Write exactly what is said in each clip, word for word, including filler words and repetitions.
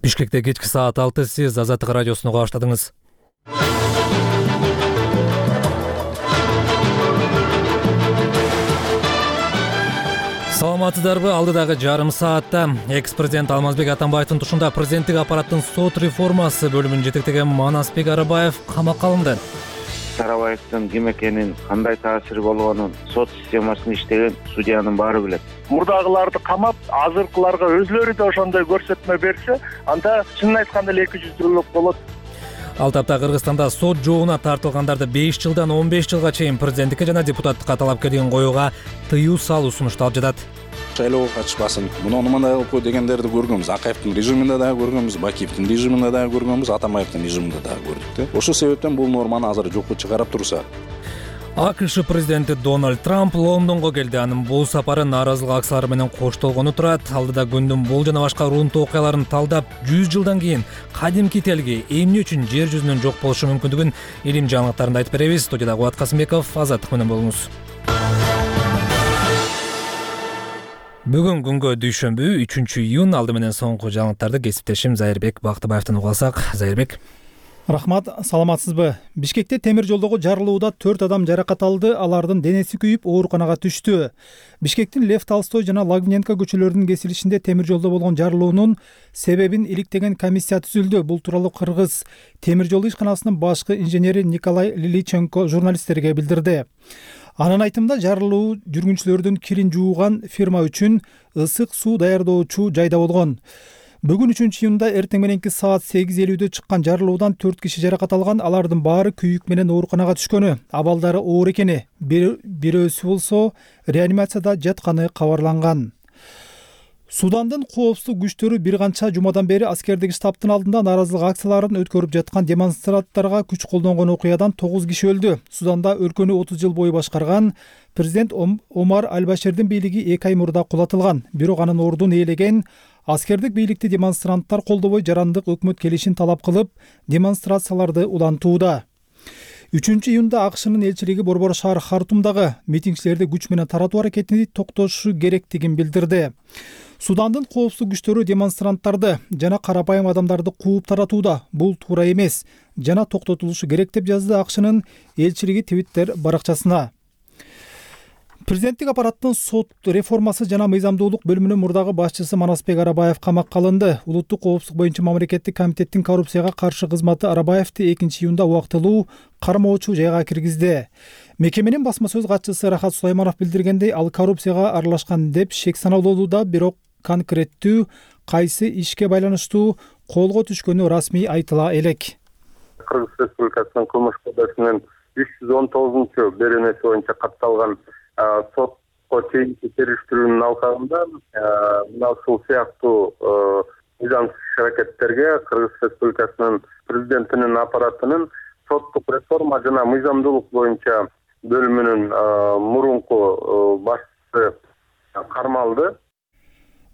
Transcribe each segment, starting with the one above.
Бишкекте кечки саат алты, сиз Азаттык радиосуну уга баштадыңыз. Саламатсыздарбы? Алдыдагы жарым саатта экс-президент Алмазбек Атамбаевдин тушунда президенттик аппараттын сот реформасы бөлүмүн жетектеген Манасбек Арабаев камакка алынды. Арабаевдин ким экенин, кандай таасири болгонун сот системасында иштеген судьянын баары билет. Мурдагыларды камап, азыркыларга өзлөрү да ошондой көрсөтмө берсе, анда чынын айтканда эле эки жүздүүлүк болот. Ал тапта Кыргызстанда сот жоогуна тартылгандарды беш жылдан он беш жылга чейин президенттикке жана депутаттыкка талапкерлигин коюуга тыюу салуу сунушталып жатат. Шайлоого катышпасын, муну мындай кылып кой дегендерди көргөнбүз. Акаевдин режиминде дагы көргөнбүз, Бакиевдин режиминде дагы көргөнбүз, Атамбаевдин режиминде дагы көрдүк. Ошол себептен бул норманы азыр жокко чыгарып турса. АКШ президенти Дональд Трамп Лондонго келди. Анын бул сапары нааразылык акциялары менен коштолгону турат. Алдыда күндүн бул жана башка урунтуу окуяларын талдап, жүз жылдан кийин кадимки телги эмне үчүн жер жүзүнөн жок болушу мүмкүндүгүн илим жаңылыктарында айтып беребиз. Студияда Кубат Касымбеков, Азаттык менен болуңуз. Бүгүн күнгө дүйшөмбү, үчүнчү июнь. Алды менен соңку жаңылыктарды кесиптешим Зайырбек Бактыбаевден уга алсак. Зайырбек. Рахмат, саламатсызбы? Бишкекте темир жолдогу жарылууда төрт адам жаракат алды, алардын денеси күйүп ооруканага түштү. Бишкектин Лев Толстой жана Лагвиненко көчөлөрүнүн кесилишинде темир жолдо болгон жарылуунун себебин иликтеген комиссия түзүлдү. Бул тууралуу Кыргыз темир жол ишканасынын башкы инженери Николай Лиличенко журналисттерге билдирди. Анын айтымында жарылуу жүргүнчүлөрдүн кирин жууган фирма үчүн ысык суу даярдоочу жайда болгон. Бүгүн үчүнчү июнда эртең мененки саат сегиз элүүдө чыккан жарылуудан төрт киши жаракат алган, алардын баары күйүк менен ооруканага түшкөнү, абалдары оор экени, бирөөсү болсо реанимацияда жатканы кабарланган. Судандын коопсуздук күчтөрү бир канча жумадан бери аскердик штабтын алдында нааразылык акцияларын өткөрүп жаткан демонстранттарга күч колдонгон окуядан тогуз киши өлдү. Суданда өлкөнү отуз жыл бою башкарган президент Омар Аль-Баширдин бийлиги эки ай мурда кулатылган. Бирок анын ордун ээлеген аскердик бийликти демонстранттар колдобой жарандык өкмөт келишин талап кылып, демонстрацияларды улантууда. үчүнчү июнда АКШнын элчилиги Борбор шаар Хартумдагы митингчилерди күч менен таратуу аракетини токтотушу керектигин билдирди. Судандын коопсуздук күчтөрү демонстранттарды жана карапайым адамдарды кууп таратууда. Бул туура эмес жана токтотулушу керек деп жазды АКШнын элчилиги Твиттер баракчасына. Президенттик аппараттын сот реформасы жана мыйзамдуулук бөлүмүнүн мурдагы башчысы Манасбек Арабаев камакка алынды. Улуттук коопсуздук боюнча мамлекеттик комитеттин коррупцияга каршы кызматы Арабаевди экинчи июнда убактылуу кармоочу жайга киргизди. Мекеменин басма сөз катчысы Рахат Сулайманов билдиргендей, ал коррупцияга аралашкан деп шек саналууда, бирок конкреттүү кайсы ишке байланыштуу колго түшкөнү расмий айтыла элек. Кыргыз Республикасынын кылмыш кодексинин үч жүз он тогузунчу беренеси боюнча катталган сотко чейинки териштирүүнүн алкагында мына ушул сыяктуу мыйзамсыз иш-аракеттерге Кыргыз Республикасынын президентинин аппаратынын соттук реформа жана мыйзамдуулук боюнча бөлүмүнүн мурунку башчысы кармалды.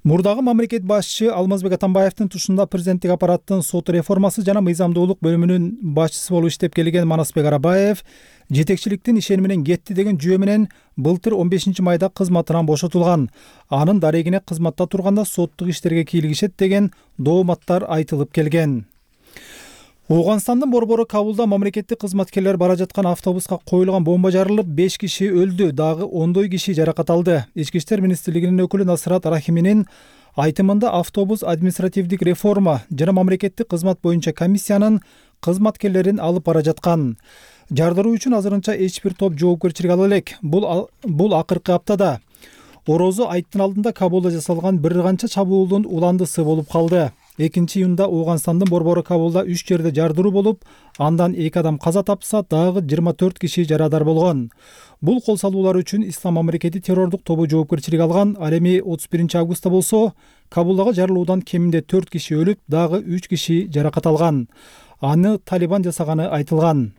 Мурдагы мамлекет башчы Алмазбек Атамбаевдин тушунда президенттик аппараттын сот реформасы жана мыйзамдуулук бөлүмүнүн башчысы болуп иштеп келген Манасбек Арабаев жетекчиликтин ишени менен кетти деген жүйө менен былтыр он бешинчи майда кызматынан бошотулган. Анын дарегине кызматта турганда соттук иштерге кийлигишет деген дооматтар айтылып келген. Ооганстандын борбору Кабулда мамлекеттик кызматкерлер бара жаткан автобуска коюлган бомба жарылып, беш киши өлдү, дагы ондой киши жаракат алды. Ички иштер министрлигинин өкүлү Насрат Рахиминин айтымында автобус административдик реформа жана мамлекеттик кызмат боюнча комиссиянын кызматкерлерин алып бара жаткан. Жардыруу үчүн азырынча эч бир топ жоопкерчилик ала элек. Бул бул акыркы аптада Орозо айттын алдында Кабулда жасалган бир канча чабуулдун уландысы болуп калды. экинчи июнда Ооганстандын борбору Кабулда үч жерде жардыруу болуп, андан эки адам каза тапса, дагы жыйырма төрт киши жарадар болгон. Бул кол салуулар үчүн Ислам мамлекети террордук тобу жоопкерчилик алган. Ал эми отуз биринчи августта болсо, Кабулдагы жарылуудан кеминде төрт киши өлүп, дагы үч киши жаракат алган. Аны Талибан жасаганы айтылган.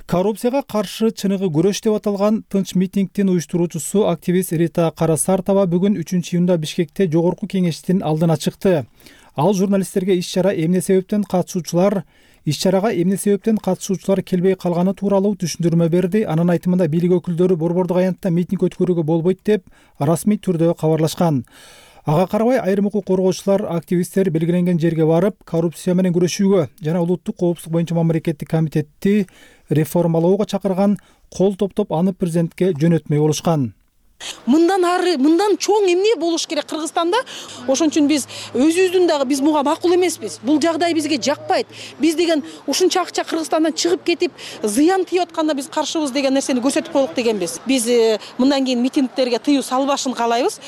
Коррупцияга каршы чыныгы күрөш деп аталган тынч митингдин уюштуруучусу активист Рита Карасартова бүгүн үчүнчү июнда Бишкекте жогорку кеңештин алдына чыкты. Ал журналисттерге иш-чара эмне себептен катышуучулар иш-чарага эмне себептен катышуучулар келбей калганы тууралуу түшүндүрмө берди. Анын айтымында бийлик өкүлдөрү борбордук аянтта митинг өткөрүүгө болбойт деп расмий түрдө кабарлашкан. Ага карабай айрым укук коргоочулар, активисттер белгиленген жерге барып, коррупция менен күрөшүүгө жана улуттук коопсуздук боюнча мамлекеттик комитетти реформалоого чакырган, кол топтоп аны президентке жөнөтмөй болушкан. Мындан ары, мындан чоң эмне болуш керек Кыргызстанда? Ошон үчүн биз өзүбүздүн дагы биз буга макул эмеспиз. Бул жагдай бизге жакпайт. Биз деген ушунча акча Кыргызстандан чыгып кетип, зыян тийип атканда биз каршыбыз деген нерсени көрсөтүп коелук дегенбиз. Биз мындан кийин митингдерге тыюу салбашын каалайбыз.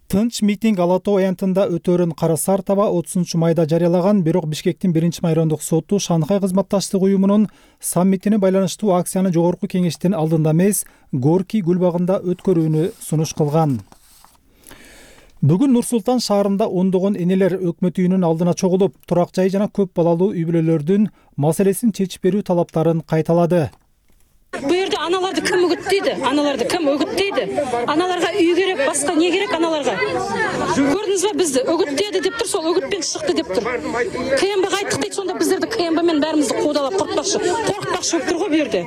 Тынч митинг Ала Тоо аянтында өтөөрүн Кара Сартова отузунчу майда жарыялаган, бирок Бишкектин биринчи майрондук соту Шанхай кызматташтык уюмунун саммитине байланыштуу акцияны жогорку кеңештин алдында эмес, Горький гүлбагында өткөрүүнү сунуш кылган. Бүгүн Нур-Султан шаарында ондогон энелер өкмөт үйүнүн алдына чогулуп, турак жай жана көп балалуу үй бүлөлөрдүн маселесин чечип берүү талаптарын кайталады. Бу жерде аналарды ким үгүттөйдү? Аналарды ким үгүттөйдү? Аналарга үй керек, башка не керек аналарга? Көрдүңүзбү, бизди үгүттөдү деп тур, сол үгүтпен чыкты деп тур. КМБ кайттык дейт, сонда биздерди КМБ менен баарыбызды куудалап коркпакчы, коркпакчы болуп тур го бу жерде.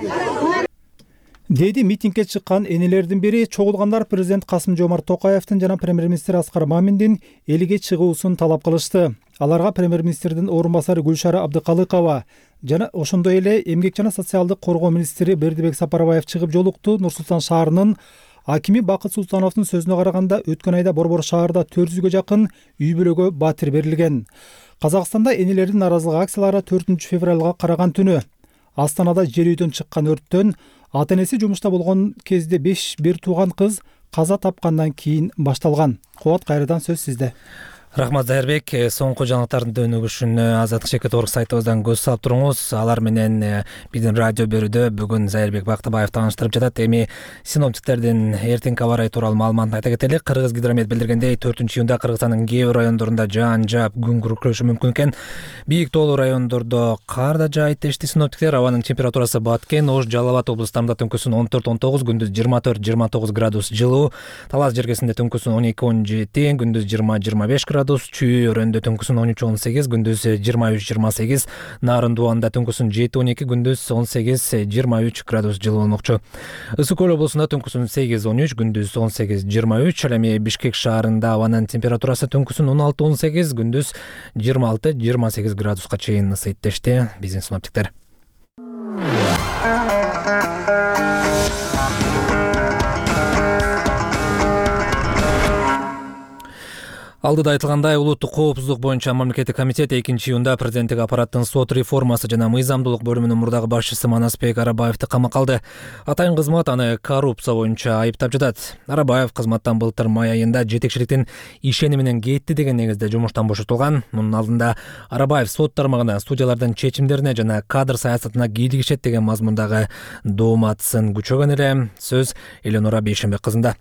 Деди митингге чыккан энелердин бири. Чогулгандар президент Касым-Жомарт Токаевдин жана премьер-министр Аскар Маминдин элге чыгуусун талап кылышты. Аларга премьер-министрдин орун басары Гүлшара Абдыкалыкова жана ошондой эле эмгек жана социалдык коргоо министри Бердибек Сапарбаев чыгып жолукту. Нур-Султан шаарынын акими Бакыт Султановдун сөзүнө караганда, өткөн айда Борбор шаарда төрт жүзгө жакын үй бүлөгө батир берилген. Казакстанда энелердин нааразылык акциялары төртүнчү февралга караган түнү Астанада жер үйдөн чыккан өрттөн ата-энеси жумушта болгон кезде беш бир тууган кыз каза тапкандан кийин башталган. Кубат, кайрадан сөз сизде. Рахмат Зайырбек. Соңку жаңылыктардын дөнүгүшүн Азаттык Шекет орг сайтыбыздан көз салып туруңуз. Алар менен биздин радио берүүдө бүгүн Зайырбек Бактыбаев тааныштырып жатат. Эми синоптиктердин эртеңки аба ырайы тууралуу маалыматын айта кетели. Кыргыз гидромет билдиргендей, төртүнчү июнда Кыргызстандын кээ бир райондорунда жаан жаап, күн күркүрөшү мүмкүн экен. Бийик тоолуу райондордо кар да жаайт дешти синоптиктер. Абанын температурасы Баткен, Ош, Жалал абад облустарында түнкүсүн он төрт он тогуз, күндүз жыйырма төрт жыйырма тогуз градус жылуу. Талас жергесинде түнкүсүн он эки он жети, күндүз жыйырма жыйырма беш градус. Чүй өрөндө түнкүсүн он үч он сегиз, күндүз жыйырма үч жыйырма сегиз, Нарын Дуанда түнкүсүн жети он эки, күндүз он сегиз жыйырма үч градус жылуу болмокчу. Ысык көл облусунда түнкүсүн сегиз он үч, күндүз он сегиз жыйырма үч. Ал эми Бишкек шаарында абанын температурасы түнкүсүн он алты он сегиз, күндүз жыйырма алты жыйырма сегиз градуска чейин ысыйт дешти биздин синоптиктер. Алдыда айтылгандай, улуттук коопсуздук боюнча мамлекеттик комитет экинчи июнда президенттик аппараттын сот реформасы жана мыйзамдуулук бөлүмүнүн мурдагы башчысы Манасбек Арабаевди камакка алды. Атайын кызмат аны коррупция боюнча айыптап жатат. Арабаев кызматтан былтыр май айында жетекчиликтин ишени менен кетти деген негизде жумуштан бошотулган. Мунун алдында Арабаев сот тармагына, судьялардын чечимдерине жана кадр саясатына кийлигишет деген мазмундагы дооматсын күчөгөн эле. Сөз Эленора Бейшенбек кызында.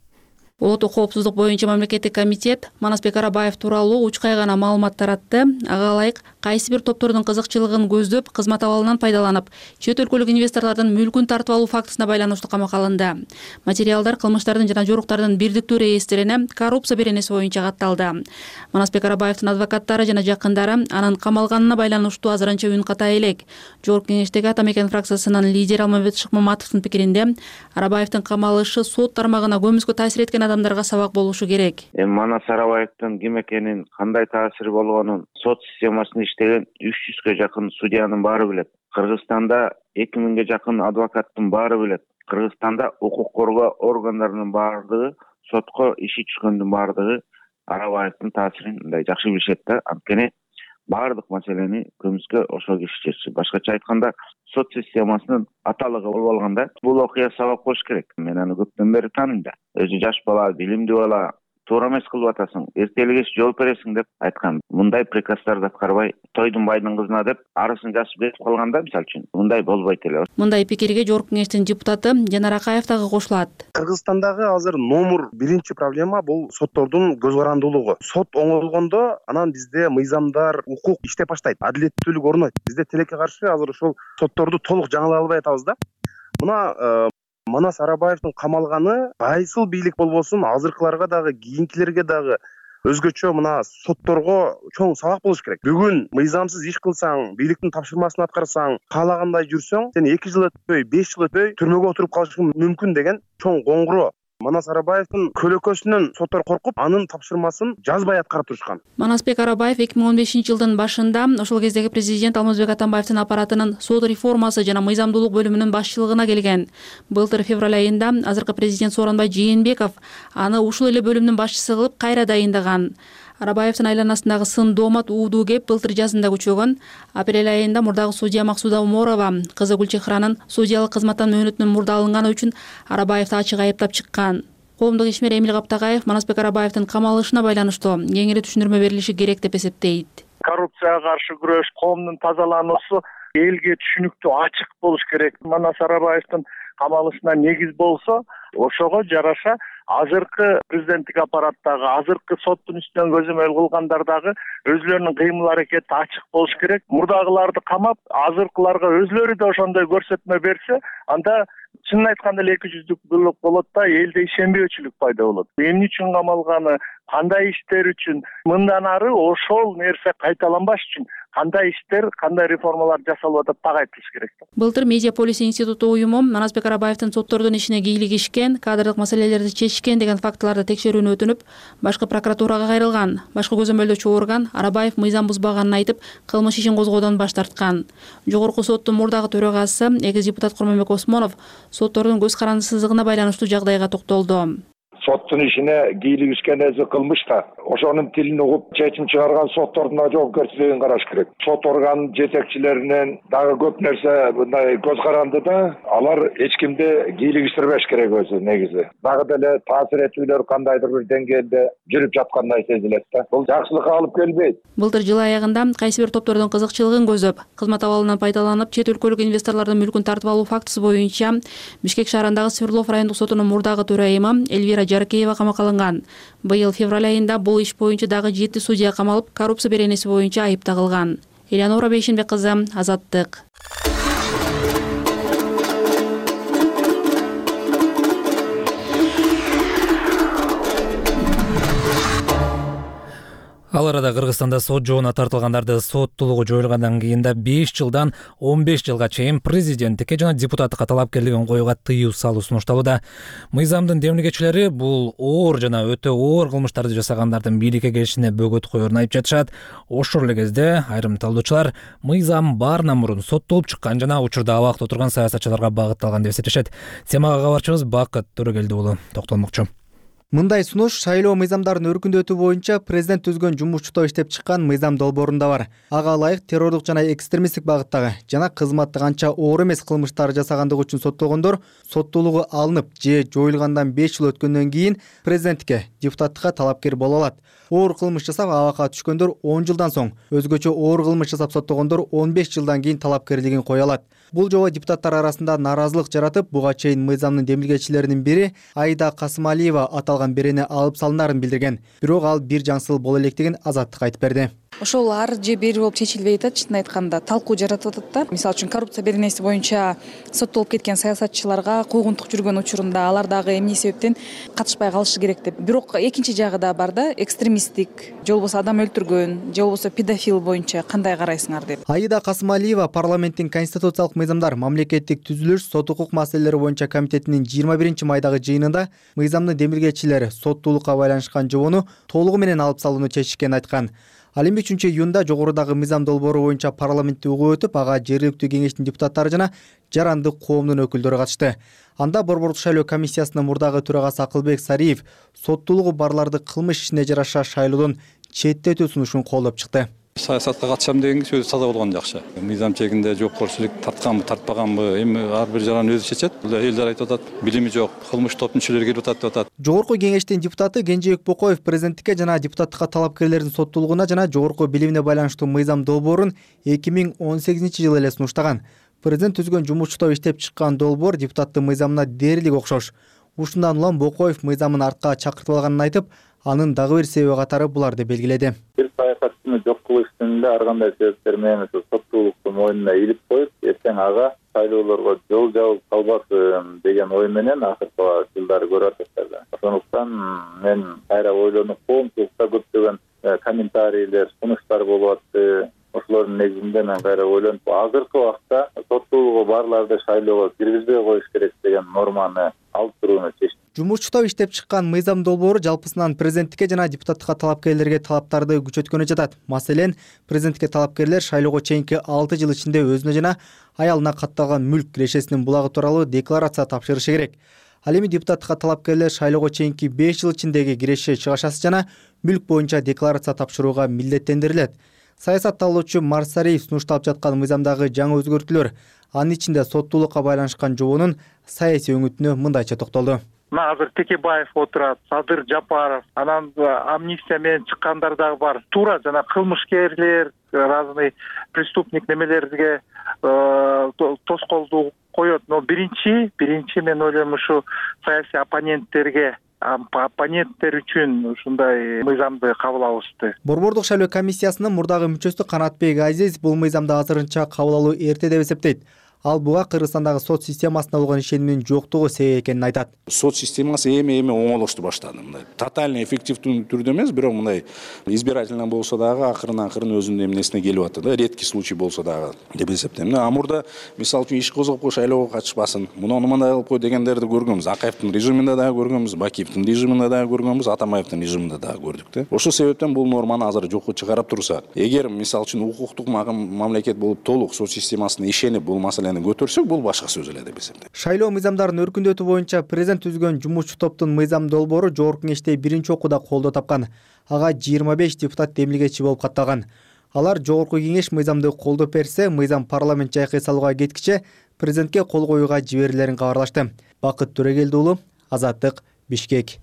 Улуттук коопсуздук боюнча мамлекеттик комитет Манасбек Арабаев тууралуу учкай гана маалымат таратты. Ага ылайык кайсы бир топтордун кызыкчылыгын көздөп, кызмат абалынан пайдаланып, чет өлкөлүк инвесторлордун мүлкүн тартып алуу фактысына байланыштуу камакка алынды. Материалдар кылмыштардын жана жоруктардын бирдиктүү реестрине коррупция беренеси боюнча катталды. Манасбек Арабаевдин адвокаттары жана жакындары анын камалганына байланыштуу азырынча үн катай элек. Жогорку кеңештеги Ата Мекен фракциясынын лидери Алмамбет Шыкмаматовдун пикиринде, Арабаевдин камалышы сот тармагына көмүскө таасир эткен адамдарга сабак болушу керек. Эми Манас Арабаевдин ким экенин, кандай таасири болгонун сот системасында иштеген үч жүзгө жакын судьянын баары билет. Кыргызстанда эки миңге жакын адвокаттын баары билет. Кыргызстанда укук коргоо органдарынын баардыгы, сотко иши түшкөндүн баардыгы Арабаевдин таасирин мындай жакшы билишет да. Анткени баардык маселени көмүскө ошол киши чечти. Башкача айтканда, сот системасынын аталыгы болуп алганда, бул окуя сабак болуш керек. Мен аны көптөн бери тааныйм да. Өзү жаш бала, билимдүү бала, туура эмес кылып атасың, эртелик кеч жооп бересиң деп айткан. Мындай приказдарды аткарбай, тойдун байдын кызына деп арысын жазып кетип калганда, мисалы үчүн, мындай болбойт эле. Мындай пикирге жогорку кеңештин депутаты Жанар Акаев дагы кошулат. Кыргызстандагы азыр номер биринчи проблема бул соттордун көз карандуулугу. Сот оңолгондо, анан бизде мыйзамдар, укук иштеп баштайт, адилеттүүлүк орнойт. Бизде тилекке каршы азыр ошол сотторду толук жаңылай албай атабыз да. Мына Манас Арабаевдин камалганы кайсыл бийлик болбосун, азыркыларга дагы, кийинкилерге дагы өзгөчө мына сотторго чоң сабак болуш керек. Бүгүн мыйзамсыз иш кылсаң, бийликтин тапшырмасын аткарсаң, каалагандай жүрсөң, сен эки жыл өтпөй, беш жыл өтпөй түрмөгө отуруп калышың мүмкүн деген чоң коңгуроо Манас Арабаевдин көлөкөсүнөн соттор коркуп, анын тапшырмасын жазбай аткарып турушкан. Манасбек Арабаев эки миң он бешинчи жылдын башында ошол кездеги президент Алмазбек Атамбаевдин аппаратынын сот реформасы жана мыйзамдуулук бөлүмүнүн башчылыгына келген. Былтыр февраль айында азыркы президент Сооронбай Жээнбеков аны ушул эле бөлүмдүн башчысы кылып кайра дайындаган. Арабаевдин айланасындагы сын доомат уудуу кеп былтыр жазында күчөгөн. Апрель айында мурдагы судья Максуда Уморова кызы Гүлчехранын судьялык кызматтан мөөнөтүнөн мурда алынганы үчүн Арабаевди ачык айыптап чыккан. Коомдук ишмер Эмил Каптагаев Манасбек Арабаевдин камалышына байланыштуу кеңири түшүндүрмө берилиши керек деп эсептейт. Коррупцияга каршы күрөш, коомдун тазалануусу элге түшүнүктүү, ачык болуш керек. Манас Арабаевдин камалышына негиз болсо, ошого жараша азыркы президенттик аппараттагы, азыркы соттун үстүнөн көзөмөл кылгандар дагы өзлөрүнүн кыймыл аракети ачык болуш керек. Мурдагыларды камап, азыркыларга өзлөрү да ошондой көрсөтмө берсе, анда чынын айтканда эле эки жүздүүлүк болот да, элде ишенбөөчүлүк пайда болот. Эмне үчүн камалганы, кандай иштер үчүн, мындан ары ошол нерсе кайталанбаш үчүн кандай иштер, кандай реформалар жасалып атат так айтылыш керек. Былтыр Медиаполис институту уюму Манасбек Арабаевдин соттордун ишине кийлигишкен, кадрлык маселелерди чечишкен деген фактыларды текшерүүнү өтүнүп, башкы прокуратурага кайрылган. Башкы көзөмөлдөөчү орган Арабаев мыйзам бузбаганын айтып, кылмыш ишин козгоодон баш тарткан. Жогорку соттун мурдагы төрагасы, экс депутат Курманбек Осмонов соттордун көз карандысыздыгына байланыштуу жагдайга токтолду. Соттун ишине кийлигишкен өзү кылмыш да. Ошонун тилин угуп чечим чыгарган соттордун жоопкерчилигин караш керек. Сот орган жетекчилеринен дагы көп нерсе мындай көз каранды да, алар эч кимди кийлигиштирбеш керек өзү негизи. Дагы деле таасир этүүлөр кандайдыр бир деңгээлде жүрүп жаткандай сезилет да. Бул жакшылыкка алып келбейт. Былтыр жыл аягында кайсы бир топтордун кызыкчылыгын көзөп, кызмат абалынан пайдаланып, чет өлкөлүк инвесторлордун мүлкүн тартып алуу фактысы боюнча Бишкек шаарындагы Свердлов райондук сотунун мурдагы төрайымы Эльвира Жаркеева камакка алынган. Быйыл февраль айында бул иш боюнча дагы жети судья камалып, коррупция беренеси боюнча айып тагылган. Элеонора Бейшенбек кызы, Азаттык. Ал арада Кыргызстанда сот жоона тартылгандарды соттуулугу жоюлгандан кийин да беш жылдан он беш жылга чейин президенттикке жана депутаттыкка талапкерлигин коюуга тыюу салуу сунушталууда. Мыйзамдын демилгечилери бул оор жана өтө оор кылмыштарды жасагандардын бийликке келишине бөгөт коерун айып жатышат. Ошол эле кезде айрым талдоочулар мыйзам баарынан мурун соттолуп чыккан жана учурда абакта отурган саясатчыларга багытталган деп эсептешет. Темага кабарчыбыз Бакыт Төрөгелди уулу токтолмокчу. Мындай сунуш шайлоо мыйзамдарын өркүндөтүү боюнча президент түзгөн жумушчуто иштеп чыккан мыйзам долбоорунда бар. Ага ылайык террордук жана экстремисттик багыттагы жана кызматтык анча оор эмес кылмыштар жасагандыгы үчүн соттолгондор соттуулугу алынып же жоюлгандан беш жыл өткөндөн кийин президенттикке, депутаттыкка талапкер боло алат. Оор кылмыш жасап абакка түшкөндөр он жылдан соң, өзгөчө оор кылмыш жасап соттогондор он беш жылдан кийин талапкерлигин кое алат. Бул жобо депутаттар арасында нааразылык жаратып, буга чейин мыйзамдын демилгечилеринин бири Аида Касымалиева аталган берени алып салынарын билдирген. Бирок ал бир жаңсыл боло электигин Азаттыкка айтып берди. Ошол ар же бери болуп чечилбей атат, чынын айтканда талкуу жаратып атат да. Мисалы үчүн коррупция беренеси боюнча соттолуп кеткен саясатчыларга куугунтук жүргөн учурунда алар дагы эмне себептен катышпай калышы керек деп. Бирок экинчи жагы да бар да, экстремисттик, же болбосо адам өлтүргөн, же болбосо педофил боюнча кандай карайсыңар деп. Аида Касымалиева парламенттин конституциялык мыйзамдар, мамлекеттик түзүлүш, сот укук маселелери боюнча комитетинин жыйырма биринчи майдагы жыйынында мыйзамдын демилгечилери соттуулукка байланышкан жобону толугу менен алып салууну чечишкенин айткан. Ал эми үчүнчү июнда жогорудагы мыйзам долбоору боюнча парламентте угуп өтүп, ага жергиликтүү кеңештин депутаттары жана жарандык коомдун өкүлдөрү катышты. Анда борбордук шайлоо комиссиясынын мурдагы төрагасы Акылбек Сариев соттуулугу барларды кылмыш ишине жараша шайлоодон четтетүү сунушун колдоп чыкты. Саясатка катышам деген сөзү таза болгон жакшы. Мыйзам чегинде жоопкерчилик тартканбы, тартпаганбы, эми ар бир жаран өзү чечет. Элдер айтып атат, билими жок, кылмыш топтун мүчөлөрү келип атат деп атат. Жогорку кеңештин депутаты Кенжебек Бокоев президенттикке жана депутаттыкка талапкерлердин соттуулугуна жана жогорку билимине байланыштуу мыйзам долбоорун эки миң он сегизинчи жылы эле сунуштаган. Президент түзгөн жумушчуто иштеп чыккан долбоор депутаттын мыйзамына дээрлик окшош. Ушундан улам Бокоев мыйзамын артка чакыртып алганын айтып, анын дагы бир себеби катары буларды белгиледи. Бир саясатчыны жок кылыш үстүндө ар кандай себептер менен соттуулукту мойнуна илип коюп, эртең ага шайлоолорго жол жабып калбасын деген ой менен акыркы жылдары көрүп атат. Ошондуктан мен кайра ойлонуп, коомчулукта көптөгөн комментарийлер, сунуштар болуп атты. Ошолордун негизинде мен кайра ойлонуп, азыркы убакта соттуулугу барларды шайлоого киргизбей коюш керек деген норманы алып турууну чечтим. жумушчу топ иштеп чыккан мыйзам долбоору жалпысынан президенттикке жана депутаттыкка талапкерлерге талаптарды күчөткөнү жатат. Маселен, президенттикке талапкерлер шайлоого чейинки алты жыл ичинде өзүнө жана аялына катталган мүлк кирешесинин булагы тууралуу декларация тапшырышы керек. Ал эми депутаттыкка талапкерлер шайлоого чейинки беш жыл ичиндеги киреше чыгашасы жана мүлк боюнча декларация тапшырууга милдеттендирилет. Саясатталуучу Марсариев сунушталып жаткан мыйзамдагы жаңы өзгөртүүлөр, анын ичинде соттуулукка байланышкан жообунун саясий өңүтүнө мындайча токтолду. Мына азыр Текебаев отурат, Садыр Жапаров, анан амнистия менен чыккандар дагы бар. Туура жана кылмышкерлер, разный преступник немелерге тоскоолдуу коет. Но биринчи, биринчи мен ойлойм ушу саясий оппоненттерге оппоненттер үчүн ушундай мыйзамды кабыл алышты. Борбордук шайлоо комиссиясынын мурдагы мүчөсү Канатбек Азиз бул мыйзамды азырынча кабыл алуу эрте деп эсептейт. Ал буга Кыргызстандагы сот системасына болгон ишенимдин жоктугу себеп экенин айтат. Сот системасы эми-эми оңолошту баштады. Мындай тотальный эффективдүү түрдө эмес, бирок мындай избирательно болсо дагы акырын-акырын өзүнүн эмнесине келип атат да, редкий случай болсо дагы деп эсептейм. А мурда мисалы үчүн иш козгоп кой, шайлоого катышпасын, муну мындай кылып кой дегендерди көргөнбүз. Акаевдин режиминде дагы көргөнбүз, Бакиевдин режиминде дагы көргөнбүз, Атамбаевдин режиминде дагы көрдүк да. Ошол себептен бул норманы азыр жокко чыгарып турса, эгер мисалы үчүн укуктук мамлекет болуп толук сот системасына ишенип бул маселени көтөрсөк, бул башка сөз эле деп эсептейм. Шайлоо мыйзамдарын өркүндөтүү боюнча президент түзгөн жумушчу топтун мыйзам долбоору жогорку кеңеште биринчи окууда колдоо тапкан. Ага жыйырма беш депутат демилгечи болуп катталган. Алар жогорку кеңеш мыйзамды колдоп берсе, мыйзам парламент жайкай салууга кеткиче президентке кол коюуга жиберилерин кабарлашты. Бакыт Төрөгелди уулу, Азаттык, Бишкек.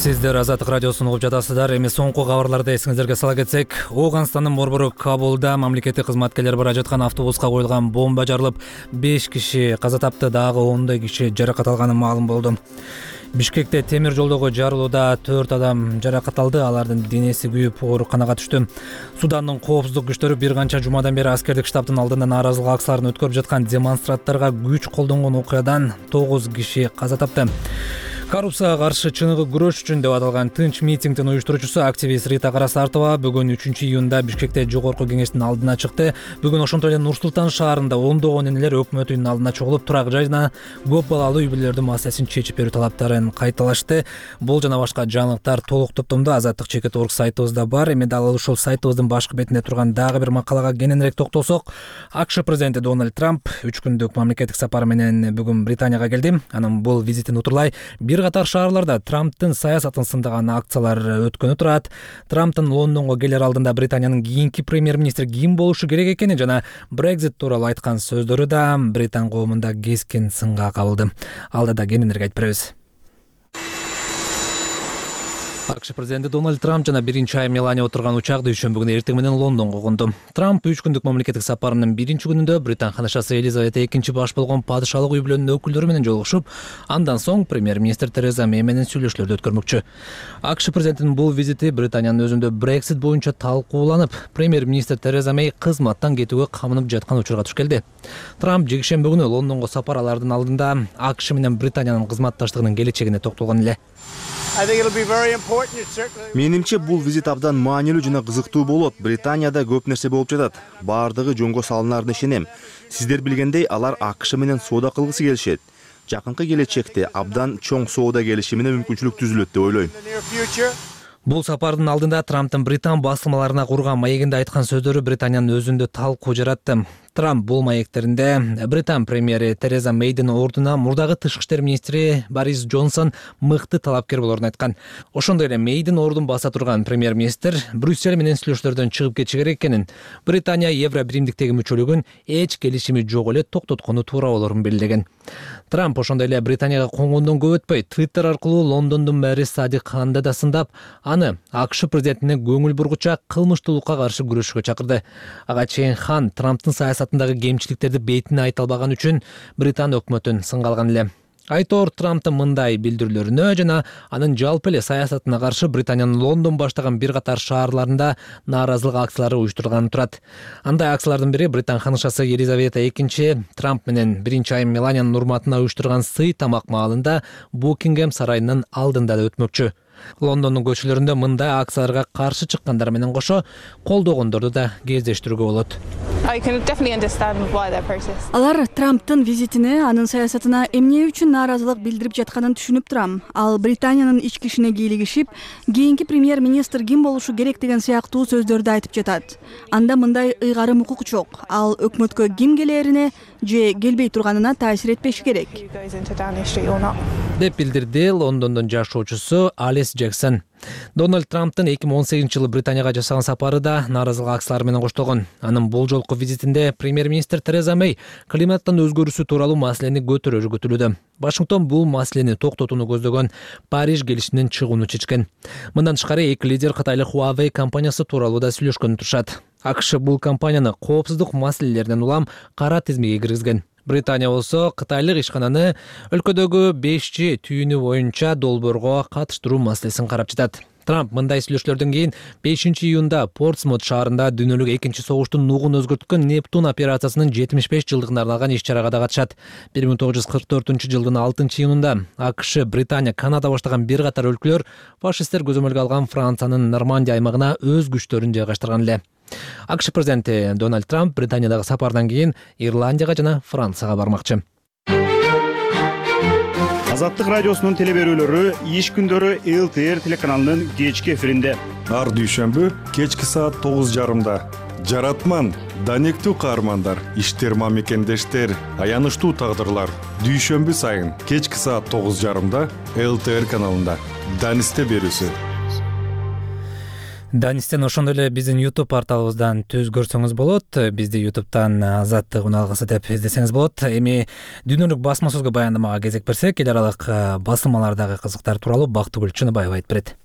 Сиздер Азаттык радиосун угуп жатасыздар. Эми соңку кабарларды эсиңиздерге сала кетсек, Ооганстандын борбору Кабулда мамлекеттик кызматкерлер бара жаткан автобуска коюлган бомба жарылып, беш киши каза тапты, дагы ондой киши жаракат алганы маалым болду. Бишкекте темир жолдогу жарылууда төрт адам жаракат алды, алардын денеси күйүп ооруканага түштү. Судандын коопсуздук күчтөрү бир канча жумадан бери аскердик штабтын алдында нааразылык акцияларын өткөрүп жаткан демонстранттарга күч колдонгон окуядан тогуз киши каза тапты. Коррупцияга каршы чыныгы күрөш үчүн деп аталган тынч митингдин уюштуруучусу активист Рита Карасартова бүгүн үчүнчү июнда Бишкекте жогорку кеңештин алдына чыкты. Бүгүн ошонтой эле Нур-Султан шаарында ондогон энелер өкмөт үйүнүнүн алдына чогулуп, турак жай жана көп балалуу үй бүлөлөрдүн маселесин чечип берүү талаптарын кайталашты. Бул жана башка жаңылыктар толук топтомдо Азаттык чекит точка орг сайтыбызда бар. Эми дал ушул сайтыбыздын башкы бетинде турган дагы бир макалага кененирээк токтолсок, АКШ президенти Дональд Трамп үч күндүк мамлекеттик сапар менен бүгүн Британияга келди. Анын бул визитин утурлай бир катар шаарларда Трамптын саясатын сындаган акциялар өткөнү турат. Трамптын Лондонго келер алдында Британиянын кийинки премьер-министри ким болушу керек экени жана Brexit тууралуу айткан сөздөрү да Британ коомунда кескин сынга кабылды. Алда да кененирээк айтып беребиз. АКШ президенти Дональд Трамп жана биринчи айым Мелания отурган учак дүйшөмбү күнү эртең менен Лондонго конду. Трамп үч күндүк мамлекеттик сапарынын биринчи күнүндө Британ ханышасы Елизавета экинчи баш болгон падышалык үй бүлөнүнүн өкүлдөрү менен жолугушуп, андан соң премьер-министр Тереза Мэй менен сүйлөшүүлөрдү өткөрмөкчү. АКШ президентинин бул визити Британиянын өзүндө Brexit боюнча талкууланып, премьер-министр Тереза Мэй кызматтан кетүүгө камынып жаткан учурга туш келди. Трамп жекшемби күнү Лондонго сапар алардын алдында АКШ менен Британиянын кызматташтыгынын келечегине токтолгон эле. Менимче бул визит абдан маанилүү жана кызыктуу болот. Британияда көп нерсе болуп жатат. Баардыгы жөнгө салынарына ишенем. Сиздер билгендей, алар АКШ менен соода кылгысы келишет. Жакынкы келечекте абдан чоң соода келишимине мүмкүнчүлүк түзүлөт деп ойлойм. Бул сапардын алдында Трамптын Британ басылмаларына курган маегинде айткан сөздөрү Британиянын өзүндө талкуу жаратты. Трамп бул маектеринде Британ премьери Тереза Мэйдин ордуна мурдагы тышкы иштер министри Борис Джонсон мыкты талапкер болорун айткан. Ошондой эле Мэйдин ордун баса турган премьер-министр Брюссель менен сүйлөшүүлөрдөн чыгып кетиши керек экенин, Британия Евро биримдиктеги мүчөлүгүн эч келишими жок эле токтоткону туура болорун белгилеген. Трамп ошондой эле Британияга конгондон көп өтпөй Твиттер аркылуу Лондондун мэри Садик Ханды да сындап, аны АКШ президентине көңүл бургуча кылмыштуулукка каршы күрөшүүгө чакырды. Ага чейин Хан Трамптын саясатындагы кемчиликтерди бетине айта албаган үчүн Британ өкмөтүн сынга алган эле. Айтор Трамптын мындай билдирүүлөрүнө жана анын жалпы эле саясатына каршы Британиянын Лондон баштаган бир катар шаарларында нааразылык акциялары уюштурулганы турат. Андай акциялардын бири Британ ханышасы Елизавета экинчи Трамп менен биринчи айым Меланиянын урматына уюштурган сый тамак маалында Букингем сарайынын алдында да өтмөкчү. Лондондун көчөлөрүндө мындай акцияларга каршы чыккандар менен кошо колдогондорду да кездештирүүгө болот. Алар Трамптын визитине, анын саясатына эмне үчүн нааразылык билдирип жатканын түшүнүп турам. Ал Британиянын ички ишине кийлигишип, кийинки премьер-министр ким болушу керек деген сыяктуу сөздөрдү айтып жатат. Анда мындай ыйгарым укук жок. Ал өкмөткө ким келерине же келбей турганына таасир этпеши керек, деп билдирди Лондондун жашоочусу Алис Джексон. Дональд Трамптын эки миң он сегизинчи жылы Британияга жасаган сапары да нааразылык акциялары менен коштолгон. Анын бул жолку визитинде премьер-министр Тереза Мэй климаттын өзгөрүүсү тууралуу маселени көтөрүүгө күтүлүүдө. Вашингтон бул маселени токтотууну көздөгөн Париж келишиминен чыгууну чечкен. Мындан тышкары эки лидер Кытайлык Huawei компаниясы тууралуу да сүйлөшкөнү турушат. АКШ бул компанияны коопсуздук маселелеринен улам кара тизмеге киргизген. Британия болсо Кытайлык ишкананы өлкөдөгү беш джи түйүнү боюнча долбоорго катыштыруу маселесин карап жатат. Трамп мындай сүйлөшүүлөрдөн кийин бешинчи июнда Портсмут шаарында дүйнөлүк экинчи согуштун нугун өзгөрткөн Нептун операциясынын жетимиш беш жылдыгына арналган иш-чарага да катышат. бир миң тогуз жүз кырк төртүнчү жылдын алтынчы июнунда АКШ, Британия, Канада баштаган бир катар өлкөлөр фашисттер көзөмөлгө алган Франциянын Нормандия аймагына өз күчтөрүн жайгаштырган эле. АКШ президенти Дональд Трамп Британиядагы сапардан кийин Ирландияга жана Францияга бармакчы. Азаттык радиосунун телеберүүлөрү иш күндөрү эл ти эр телеканалынын кечки эфиринде. Ар дүйшөмбү кечки саат тогуз жарымда. Жаратман, данектүү каармандар, иштер мамекендештер, аянычтуу тагдырлар. Дүйшөмбү сайын кечки саат тогуз жарымда эл ти эр каналында. Данисте берүүсү. Данистен ошондой эле биздин YouTube порталыбыздан түз көрсөңүз болот. Бизди YouTube'дан Азаттык уналгысы деп издесеңиз болот. Эми дүйнөлүк басма сөзгө баяндамага кезек берсек, эл аралык басылмалардагы кызыктар тууралуу Бактыгүл Чыныбаева айтып берет.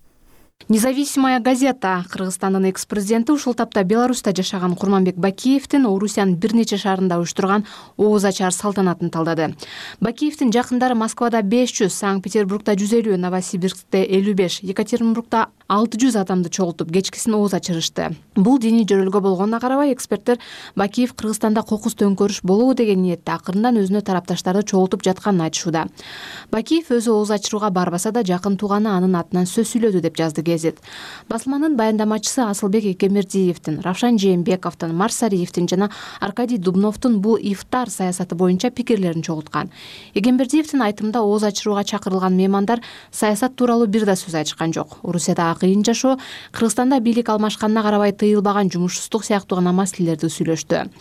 Независимая газета Кыргызстандын экс-президенти ушул тапта Беларуста жашаган Курманбек Бакиевдин Орусиянын бир нече шаарында уюштурган ооз ачар салтанатын талдады. Бакиевдин жакындары Москвада беш жүз, Санкт-Петербургда жүз элүү, Новосибирскте элүү беш, Екатеринбургда алты жүз адамды чогултуп кечкисин ооз ачырышты. Бул диний жөрөлгө болгонуна карабай, эксперттер Бакиев Кыргызстанда кокус төңкөрүш болобу деген ниетте акырындан өзүнө тарапташтарды чогултуп жатканын айтышууда. Бакиев өзү ооз ачырууга барбаса да жакын тууганы анын атынан сөз сүйлөдү деп жазды гезит. Басылманын баяндамачысы Асылбек Экемердиевдин, Равшан Жээнбековдун, Марсариевдин жана Аркадий Дубновдун бул ифтар саясаты боюнча пикирлерин чогулткан. Экемердиевдин айтымында ооз ачырууга чакырылган меймандар саясат тууралуу бир да сөз айтышкан жок. Орусияда кыйын жашоо, Кыргызстанда бийлик алмашканына карабай тыйылбаган жумушсуздук сыяктуу гана маселелерди сүйлөштү.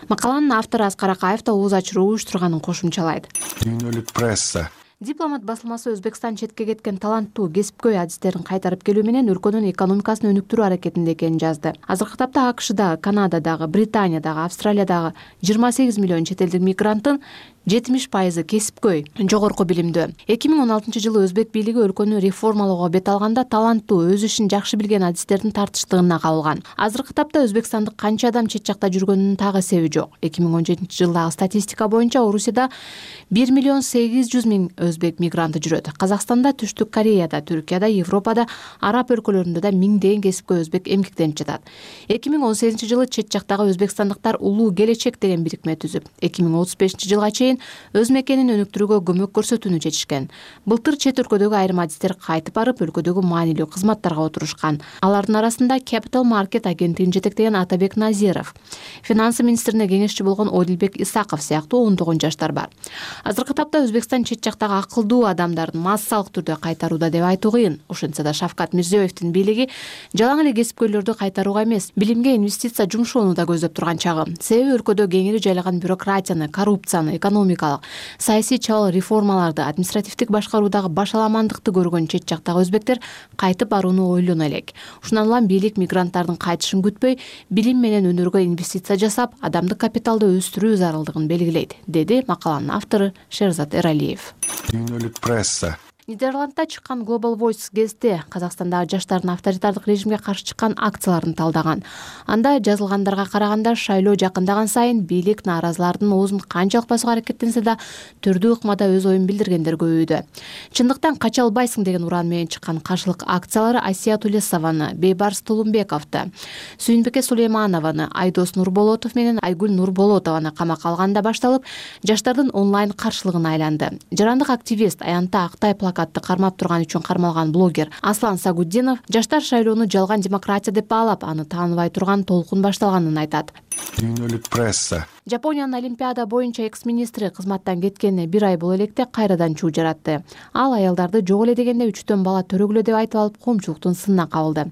Макаланын автору Аскар Акаев да ооз ачыруу уюштурганын кошумчалайт. Дүйнөлүк пресса Дипломат басылмасы Өзбекстан четке кеткен таланттуу кесипкөй адистерин кайтарып келүү менен өлкөнүн экономикасын өнүктүрүү аракетинде экенин жазды. Азыркы тапта АКШда, Канададагы, Британиядагы, Австралиядагы жыйырма сегиз миллион чет элдик мигранттын жетимиш пайызы кесипкөй, жогорку билимдүү. эки миң он алтынчы жылы өзбек бийлиги өлкөнү реформалоого бет алганда таланттуу, өз ишин жакшы билген адистердин тартыштыгына кабылган. Азыркы тапта Өзбекстандык канча адам чет жакта жүргөнүнүн так эсеби жок. эки миң он жетинчи жылдагы статистика боюнча Орусияда бир миллион сегиз жүз миң өзбек мигранты жүрөт. Казакстанда, Түштүк Кореяда, Түркияда, Европада, Араб өлкөлөрүндө да миңдеген кесипкөй өзбек эмгектенип жатат. эки миң он сегизинчи жылы чет жактагы өзбекстандыктар улуу келечек деген бирикме түзүп, эки миң отуз бешинчи жылга чейин өз мекенин өнүктүрүүгө көмөк көрсөтүүнү чечишкен. Былтыр чет өлкөдөгү айрым адистер кайтып барып, өлкөдөгү маанилүү кызматтарга отурушкан. Алардын арасында Capital Market агенттигин жетектеген Атабек Назиров, финансы министрине кеңешчи болгон Одилбек Исаков сыяктуу ондогон жаштар бар. Азыркы тапта Өзбекстан чет жактагы акылдуу адамдардын массалык түрдө кайтарууда деп айтуу кыйын. Ошентсе да Шавкат Мирзиёевдин бийлиги жалаң эле кесипкөйлөрдү кайтарууга эмес, билимге инвестиция жумшоону да көздөп турган чагы. Себеби өлкөдө кеңири жайлаган бюрократияны, коррупцияны, экономикалык, саясий чабал реформаларды, административдик башкаруудагы башаламандыкты көргөн чет жактагы өзбектер кайтып барууну ойлоно элек. Ушундан улам бийлик мигранттардын кайтышын күтпөй, билим менен өнөргө инвестиция жасап, адамдык капиталды өстүрүү зарылдыгын белгилейт, деди макаланын автору Шерзат Эралиев. Дүйнөлүк пресса Нидерландда чыккан Global Voice гезити Казакстандагы жаштардын авторитардык режимге каршы чыккан акцияларын талдаган. Анда жазылгандарга караганда шайлоо жакындаган сайын бийлик нааразылардын оозун канчалык басууга аракеттенсе да түрдүү ыкмада өз оюн билдиргендер көбөйдү. Чындыктан кача албайсың деген уран менен чыккан каршылык акциялары Асия Тулесованы, Бейбарс Тулумбековду, Сүйүнбеке Сулейманованы, Айдос Нурболотов менен Айгүл Нурболотованы камакка алганда башталып, жаштардын онлайн каршылыгына айланды. Жарандык активист Аянта Актай плакатты кармап турган үчүн кармалган блогер Аслан Сагуддинов жаштар шайлоону жалган демократия деп баалап, аны тааныбай турган толкун башталганын айтат. дүйнөлүк пресса. Жапониянын Олимпиада боюнча экс-министри кызматтан кеткенине бир ай боло электе кайрадан чуу жаратты. Ал аялдарды жок эле дегенде үчтөн бала төрөгүлө деп айтып алып коомчулуктун сынына кабылды.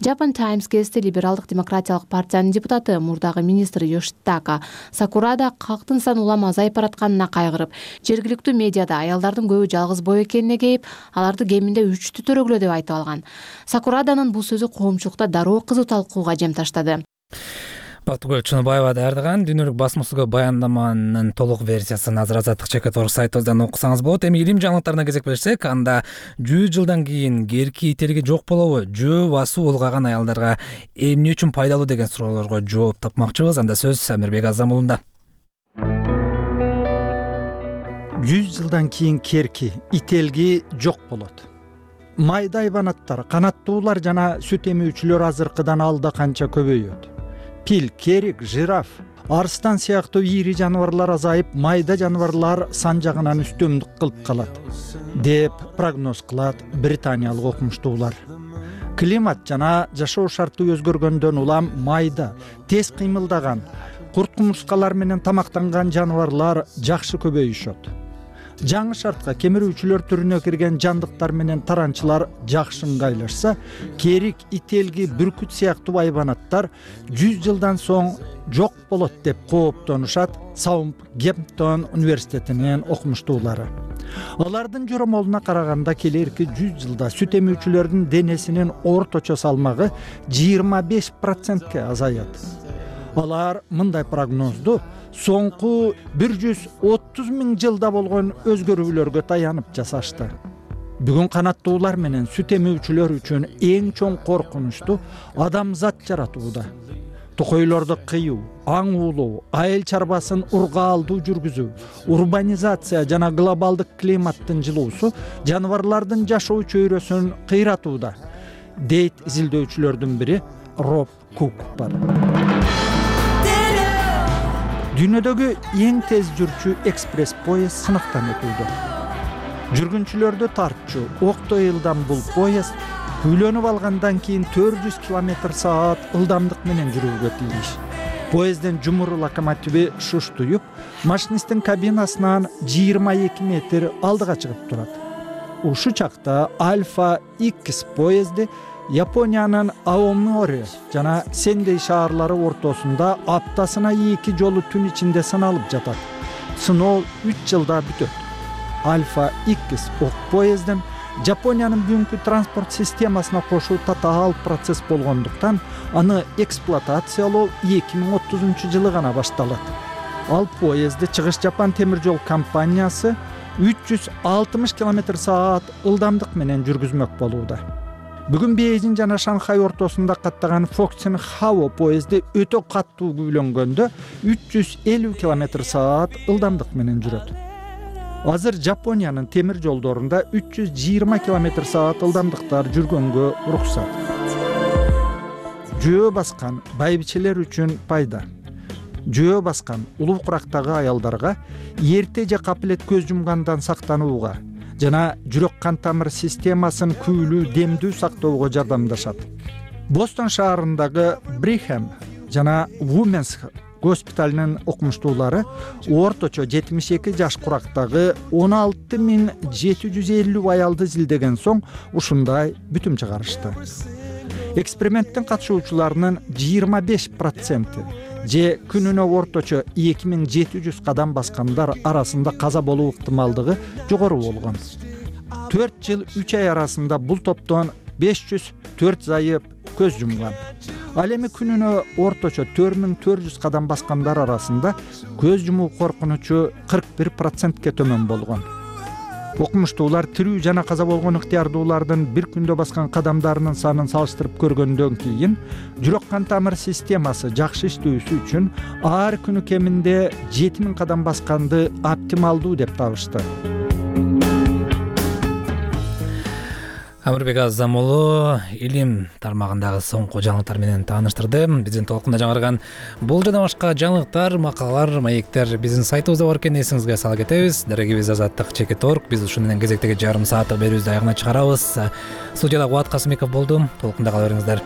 Japan Times гезити либералдык демократиялык партиянын депутаты мурдагы министр Yoshitaka Sakurada калктын саны улам азайып баратканына кайгырып, жергиликтүү медиада аялдардын көбү жалгыз боо экенине кейип, аларды кеминде үчтү төрөгүлө деп айтып алган. Сакураданын бул сөзү коомчулукта дароо кызуу талкууга жем таштады. Бактыгүл Чыныбаева даярдаган дүйнөлүк басмасыга баяндаманын толук версиясын азыр Азаттык чекит орг сайтыбыздан окусаңыз болот. Эми илим жаңылыктарына кезек берсек, анда жүз жылдан кийин керки ителги жок болобу? Жөө басуу улгаган аялдарга эмне үчүн пайдалуу деген суроолорго жооп тапмакчыбыз. Анда сөз Амирбек Азамулунда. жүз жылдан кийин керки ителги жок болот. Майда айбанаттар, канаттуулар жана сүт эмүүчүлөр азыркыдан алда канча көбөйөт. Пил, керик, жираф, арстан сыяктуу ийри жаныбарлар азайып, майда жаныбарлар сан жагынан үстөмдүк кылып калат, деп прогноз кылат британиялык окумуштуулар. Климат жана жашоо шарты өзгөргөндөн улам майда, тез кыймылдаган, курт-кумурскалар менен тамактанган жаныбарлар жакшы көбөйүшөт. Жаңы шартка кемирүүчүлөр түрүнө кирген жандыктар менен таранчылар жакшы ыңгайлашса, керик, ителги, бүркүт сыяктуу айбанаттар жүз жылдан соң жок болот деп кооптонушат Саутгемптон университетинин окумуштуулары. Алардын жоромолуна караганда келерки жүз жылда сүт эмүүчүлөрдүн денесинин орточо салмагы жыйырма беш процентке азаят. Алар мындай прогнозду соңку бир жүз отуз миң жылда болгон өзгөрүүлөргө таянып жасашты. Бүгүн канаттуулар менен сүт эмүүчүлөр үчүн эң чоң коркунучту адамзат жаратууда. Токойлорду кыюу, аң уулоо, айыл чарбасын ургаалдуу жүргүзүү, урбанизация жана глобалдык климаттын жылуусу жаныбарлардын жашоо чөйрөсүн кыйратууда, дейт изилдөөчүлөрдүн бири Роб Кук бар. Дүйнөдөгү эң тез жүрчү экспресс поезд сынактан өтүүдө. Жүргүнчүлөрдү тартчу октой ылдам бул поезд үйлөнүп алгандан кийин төрт жүз километр саат ылдамдык менен жүрүүгө тийиш. Поезддин жумур локомотиви шуштуюп, машинисттин кабинасынан жыйырма эки метр алдыга чыгып турат. Ушу чакта Альфа X поезди Япониянын Аомори жана Сендей шаарлары ортосунда аптасына эки жолу түн ичинде сыналып жатат. Сыноо үч жылда бүтөт. Альфа X ок поездин Жапониянын бүгүнкү транспорт системасына кошуу татаал процесс болгондуктан аны эксплуатациялоо эки миң отузунчу жылы гана башталат. Ал поезди Чыгыш Жапон темир жол компаниясы үч жүз алтымыш километр саат ылдамдык менен жүргүзмөк болууда. Бүгүн Бейжин жана Шанхай ортосунда каттаган Фоксен Хао поезди өтө каттуу күйлөнгөндө үч жүз элүү километр саат ылдамдык менен жүрөт. Азыр Жапониянын темир жолдорунда үч жүз жыйырма километр саат ылдамдыктар жүргөнгө уруксат. Жөө баскан байбичелер үчүн пайда. Жөө баскан улуу курактагы аялдарга эрте же капилет көз жумгандан сактанууга жана жүрөк кан тамыр системасын күйлүү, демдүү сактоого жардамдашат. Бостон шаарындагы Брихем жана Women's госпиталынын окумуштуулары орточо жетимиш эки жаш курактагы он алты миң жети жүз элүү аялды изилдеген соң ушундай бүтүм чыгарышты. Эксперименттин катышуучуларынын жыйырма беш проценти же күнүнө орточо эки миң жети жүз кадам баскандар арасында каза болуу ыктымалдыгы жогору болгон. төрт жыл үч ай арасында бул топтон беш жүз төрт зайып көз жумган. Ал эми күнүнө орточо төрт миң төрт жүз кадам баскандар арасында көз жумуу коркунучу кырк бир процентке төмөн болгон. Окумуштуулар тирүү жана каза болгон ыктыярдуулардын бир күндө баскан кадамдарынын санын салыштырып көргөндөн кийин жүрөк кан тамыр системасы жакшы иштөөсү үчүн ар күнү кеминде жети миң кадам басканды оптималдуу деп табышты. Амирбек Азамулу илим тармагындагы соңку жаңылыктар менен тааныштырды. Биздин толкунда жаңырган бул жана башка жаңылыктар, макалалар, маектер биздин сайтыбызда бар экенин эсиңизге сала кетебиз. Дарегибиз Азаттык чекит орг. Биз ушуну менен кезектеги жарым сааттык берүүбүздү аягына чыгарабыз. Студияда Кубат Касымбеков болду. Толкунда кала бериңиздер.